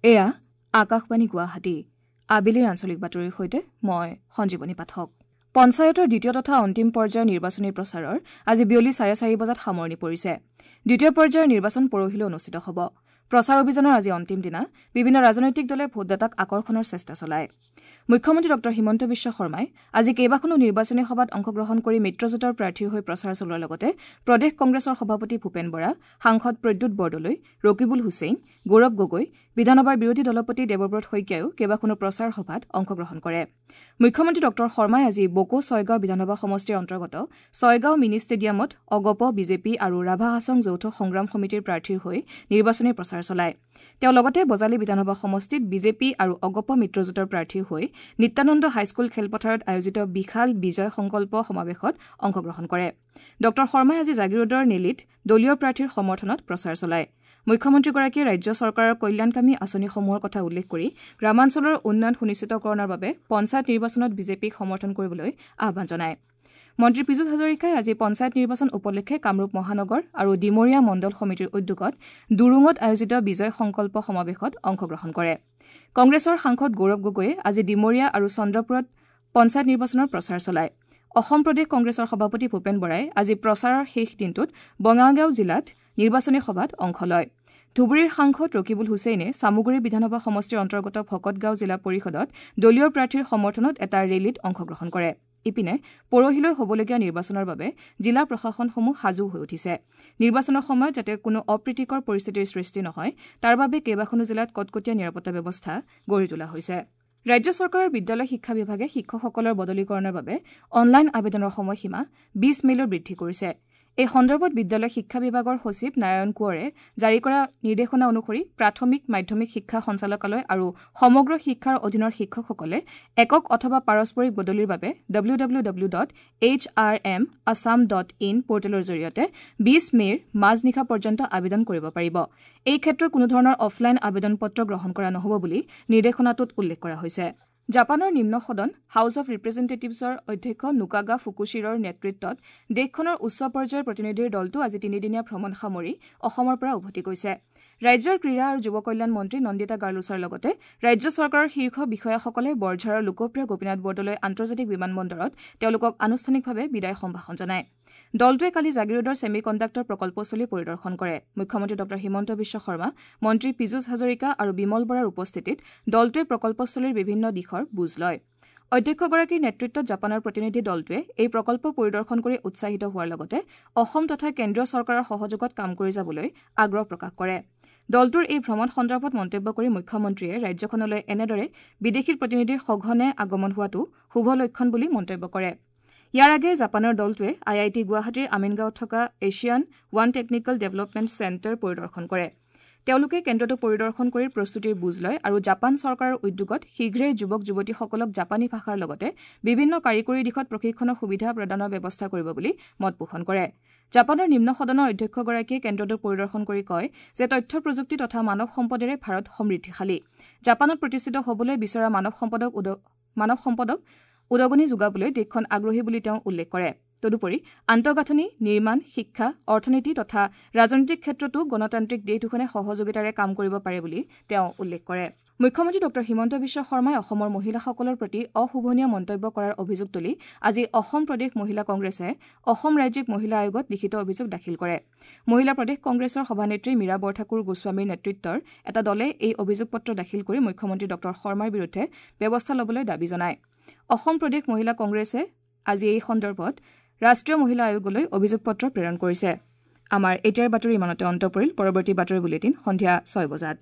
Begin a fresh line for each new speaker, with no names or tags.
এয়া আকাশবাণী গুৱাহাটী। আবেলিৰ আঞ্চলিক বাতৰিৰ সৈতে মই সঞ্জীৱনী পাঠক। পঞ্চায়তৰ দ্বিতীয় তথা অন্তিম পৰ্যায়ৰ নিৰ্বাচনী প্ৰচাৰৰ আজি বিয়লি 4:30 বজাত সামৰণি পৰিছে। দ্বিতীয় পৰ্যায়ৰ নিৰ্বাচন পৰহিলৈ অনুষ্ঠিত হ'ব। প্ৰচাৰ অভিযানৰ আজি অন্তিম দিনা বিভিন্ন ৰাজনৈতিক দলে ভোটদাতাক আকৰ্ষণৰ চেষ্টা চলায়। মুখ্যমন্ত্ৰী ডঃ হিমন্ত বিশ্ব শৰ্মাই আজি কেইবাখনো নিৰ্বাচনী সভাত অংশগ্ৰহণ কৰি মিত্ৰজোঁটৰ প্ৰাৰ্থীৰ হৈ প্ৰচাৰ চলোৱাৰ লগতে প্ৰদেশ কংগ্ৰেছৰ সভাপতি ভূপেন বৰা, সাংসদ প্ৰদ্যুৎ বৰদলৈ, ৰকিবুল হুছেইন, গৌৰৱ গগৈ, বিধানসভাৰ বিৰোধী দলপতি দেৱব্ৰত শইকীয়ায়ো কেইবাখনো প্ৰচাৰ সভাত অংশগ্ৰহণ কৰে। মুখ্যমন্ত্ৰী ডঃ শৰ্মাই আজি বকো ছয়গাঁও বিধানসভা সমষ্টিৰ অন্তৰ্গত ছয়গাঁও মিনি ষ্টেডিয়ামত অগপ, বিজেপি আৰু ৰাভা হাছং যৌথ সংগ্ৰাম সমিতিৰ প্ৰাৰ্থীৰ হৈ নিৰ্বাচনী প্ৰচাৰ চলায়। তেওঁ লগতে বজালী বিধানসভা সমষ্টিত বিজেপি আৰু অগপ মিত্ৰজোঁটৰ প্ৰাৰ্থীৰ হৈ নিত্যানন্দ হাইস্কুল খেলপথাৰত আয়োজিত বিশাল বিজয় সংকল্প সমাৱেশত অংশগ্ৰহণ কৰে। ডঃ শৰ্মাই আজি জাগীৰোডৰ নেলিত দলীয় প্ৰাৰ্থীৰ সমৰ্থনত প্ৰচাৰ চলায়। মুখ্যমন্ত্ৰীগৰাকীয়ে ৰাজ্য চৰকাৰৰ কল্যাণকামী আঁচনিসমূহৰ কথা উল্লেখ কৰি গ্ৰামাঞ্চলৰ উন্নয়ন সুনিশ্চিতকৰণৰ বাবে পঞ্চায়ত নিৰ্বাচনত বিজেপিক সমৰ্থন কৰিবলৈ আহ্বান জনায়। মন্ত্ৰী পীযুষ হাজৰিকাই আজি পঞ্চায়ত নিৰ্বাচন উপলক্ষে কামৰূপ মহানগৰ আৰু ডিমৰীয়া মণ্ডল সমিতিৰ উদ্যোগত দুৰুঙত আয়োজিত বিজয় সংকল্প সমাৱেশত অংশগ্ৰহণ কৰে। কংগ্ৰেছৰ সাংসদ গৌৰৱ গগৈয়ে আজি ডিমৰীয়া আৰু চন্দ্ৰপুৰত পঞ্চায়ত নিৰ্বাচনৰ প্ৰচাৰ চলায়। অসম প্ৰদেশ কংগ্ৰেছৰ সভাপতি ভূপেন বৰাই আজি প্ৰচাৰৰ শেষ দিনটোত বঙাইগাঁও জিলাত নিৰ্বাচনী সভাত অংশ লয়। ধুবুৰীৰ সাংসদ ৰকিবুল হুছেইনে চামগুৰি বিধানসভা সমষ্টিৰ অন্তৰ্গত ভকতগাঁও জিলা পৰিষদত দলীয় প্ৰাৰ্থীৰ সমৰ্থনত এটা ৰেলীত অংশগ্ৰহণ কৰে। ইপিনে পৰহিলৈ হ'বলগীয়া নিৰ্বাচনৰ বাবে জিলা প্ৰশাসনসমূহ সাজু হৈ উঠিছে। নিৰ্বাচনৰ সময়ত যাতে কোনো অপ্ৰীতিকৰ পৰিস্থিতিৰ সৃষ্টি নহয় তাৰ বাবে কেইবাখনো জিলাত কটকটীয়া নিৰাপত্তা ব্যৱস্থা গঢ়ি তোলা হৈছে। ৰাজ্য চৰকাৰৰ বিদ্যালয় শিক্ষা বিভাগে শিক্ষকসকলৰ বদলিকৰণৰ বাবে অনলাইন আবেদনৰ সময়সীমা 20 মে'লৈ বৃদ্ধি কৰিছে। এই সন্দৰ্ভত বিদ্যালয় শিক্ষা বিভাগৰ সচিব নাৰায়ণ কোঁৱৰে জাৰি কৰা নিৰ্দেশনা অনুসৰি প্ৰাথমিক, মাধ্যমিক শিক্ষা সঞ্চালকালয় আৰু সমগ্ৰ শিক্ষাৰ অধীনৰ শিক্ষকসকলে একক অথবা পাৰস্পৰিক বদলিৰ বাবে www.hrmassam.in পৰ্টেলৰ জৰিয়তে 20 মে'ৰ মাজনিশা পৰ্যন্ত আবেদন কৰিব পাৰিব। এই ক্ষেত্ৰত কোনোধৰণৰ অফলাইন আবেদন পত্ৰ গ্ৰহণ কৰা নহ'ব বুলি নিৰ্দেশনাটোত উল্লেখ কৰা হৈছে। জাপানৰ নিম্ন সদন হাউছ অৱ ৰিপ্ৰেজেণ্টেটিভছৰ অধ্যক্ষ নুকাগা ফুকুশ্বিৰৰ নেতৃত্বত দেশখনৰ উচ্চ পৰ্যায়ৰ প্ৰতিনিধিৰ দলটো আজি তিনিদিনীয়া ভ্ৰমণ সামৰি অসমৰ পৰা উভতি গৈছে। ৰাজ্যৰ ক্ৰীড়া আৰু যুৱ কল্যাণ মন্ত্ৰী নন্দিতা গাৰ্লোচাৰ লগতে ৰাজ্য চৰকাৰৰ শীৰ্ষ বিষয়াসকলে বৰঝাৰৰ লোকপ্ৰিয় গোপীনাথ বৰদলৈ আন্তৰ্জাতিক বিমানবন্দৰত তেওঁলোকক আনুষ্ঠানিকভাৱে বিদায় সম্ভাষণ জনায়। দলটোৱে কালি জাগীৰোডৰ ছেমি কণ্ডাক্টৰ প্ৰকল্পস্থলী পৰিদৰ্শন কৰে। মুখ্যমন্ত্ৰী ডঃ হিমন্ত বিশ্ব শৰ্মা, মন্ত্ৰী পীযুষ হাজৰিকা আৰু বিমল বৰাৰ উপস্থিতিত দলটোৱে প্ৰকল্পস্থলীৰ বিভিন্ন দিশৰ বুজ লয়। অধ্যক্ষগৰাকীৰ নেতৃত্বত জাপানৰ প্ৰতিনিধি দলটোৱে এই প্ৰকল্প পৰিদৰ্শন কৰি উৎসাহিত হোৱাৰ লগতে অসম তথা কেন্দ্ৰীয় চৰকাৰৰ সহযোগত কাম কৰি যাবলৈ আগ্ৰহ প্ৰকাশ কৰে। দলটোৰ এই ভ্ৰমণ সন্দৰ্ভত মন্তব্য কৰি মুখ্যমন্ত্ৰীয়ে ৰাজ্যখনলৈ এনেদৰে বিদেশী প্ৰতিনিধিৰ সঘনে আগমন হোৱাটো শুভ লক্ষণ বুলি মন্তব্য কৰে। ইয়াৰ আগেয়ে জাপানৰ দলটোৱে আই I T গুৱাহাটীৰ আমিনগাঁৱত থকা Asian one technical development centre পৰিদৰ্শন কৰে। তেওঁলোকে কেন্দ্ৰটো পৰিদৰ্শন কৰি প্ৰস্তুতিৰ বুজ লয় আৰু জাপান চৰকাৰৰ উদ্যোগত শীঘ্ৰেই যুৱক যুৱতীসকলক জাপানী ভাষাৰ লগতে বিভিন্ন কাৰিকৰী দিশত প্ৰশিক্ষণৰ সুবিধা প্ৰদানৰ ব্যৱস্থা কৰিব বুলি মত পোষণ কৰে। জাপানৰ নিম্ন সদনৰ অধ্যক্ষগৰাকীয়ে কেন্দ্ৰটো পৰিদৰ্শন কৰি কয় যে তথ্য প্ৰযুক্তি তথা মানৱ সম্পদেৰে ভাৰত সমৃদ্ধিশালী। জাপানত প্ৰতিষ্ঠিত হ'বলৈ বিচৰা মানৱ সম্পদক উদগনি যোগাবলৈ দেশখন আগ্ৰহী বুলি তেওঁ উল্লেখ কৰে। তদুপৰি আন্তঃগাঁথনি নিৰ্মাণ, শিক্ষা, অৰ্থনীতি তথা ৰাজনৈতিক ক্ষেত্ৰতো গণতান্ত্ৰিক দেশ দুখনে সহযোগিতাৰে কাম কৰিব পাৰে বুলি তেওঁ উল্লেখ কৰে। মুখ্যমন্ত্ৰী ডঃ হিমন্ত বিশ্ব শৰ্মাই অসমৰ মহিলাসকলৰ প্ৰতি অশোভনীয় মন্তব্য কৰাৰ অভিযোগ তুলি আজি অসম প্ৰদেশ মহিলা কংগ্ৰেছে অসম ৰাজ্যিক মহিলা আয়োগত লিখিত অভিযোগ দাখিল কৰে। মহিলা প্ৰদেশ কংগ্ৰেছৰ সভানেত্ৰী মীৰা বৰঠাকুৰ গোস্বামীৰ নেতৃত্বৰ এটা দলে এই অভিযোগ পত্ৰ দাখিল কৰি মুখ্যমন্ত্ৰী ডঃ শৰ্মাৰ বিৰুদ্ধে ব্যৱস্থা ল'বলৈ দাবী জনায়। অসম প্ৰদেশ মহিলা কংগ্ৰেছে আজি এই সন্দৰ্ভত ৰাষ্ট্ৰীয় মহিলা আয়োগলৈ অভিযোগ পত্ৰ প্ৰেৰণ কৰিছে। আমাৰ এতিয়াৰ বাতৰি ইমানতে অন্ত পৰিল। পৰৱৰ্তী বাতৰি বুলেটিন সন্ধিয়া 6 বজাত।